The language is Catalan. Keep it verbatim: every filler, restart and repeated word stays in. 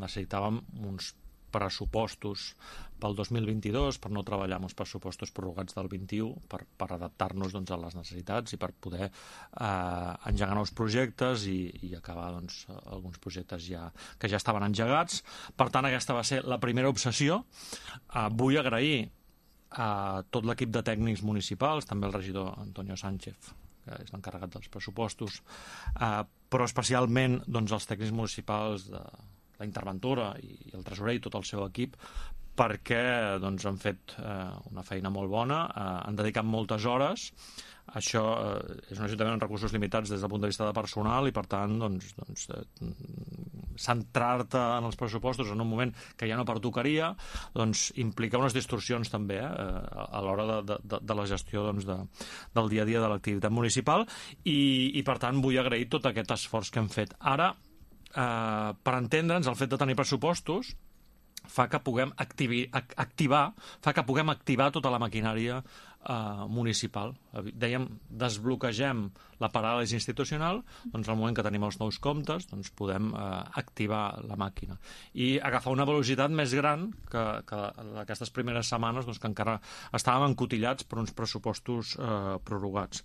necessitàvem uns pressupostos pel dos mil vint-i-dos per no treballar amb els pressupostos prorrogats del vint-i-u, per, per adaptar-nos doncs, a les necessitats i per poder eh, engegar nous projectes i, i acabar doncs, alguns projectes ja, que ja estaven engegats. Per tant, aquesta va ser la primera obsessió. Eh, vull agrair a tot l'equip de tècnics municipals, també el regidor Antonio Sánchez, que és l'encarregat dels pressupostos, eh, però especialment doncs, els tècnics municipals de la interventora i el tresorer i tot el seu equip, perquè doncs, han fet eh, una feina molt bona, eh, han dedicat moltes hores. Això eh, és un ajuntament amb recursos limitats des del punt de vista de personal i, per tant, doncs, doncs, eh, centrar-te en els pressupostos en un moment que ja no pertocaria doncs, implica unes distorsions també eh, a l'hora de, de, de la gestió doncs, de, del dia a dia de l'activitat municipal i, i, per tant, vull agrair tot aquest esforç que hem fet. Ara, Uh, per entendre'ns, el fet de tenir pressupostos fa que puguem activi, activar, fa que puguem activar tota la maquinària uh, municipal. Dèiem, desbloquegem la paràlisi institucional, doncs al moment que tenim els nous comptes doncs podem uh, activar la màquina i agafar una velocitat més gran que, que aquestes primeres setmanes doncs, que encara estàvem encotillats per uns pressupostos uh, prorrogats.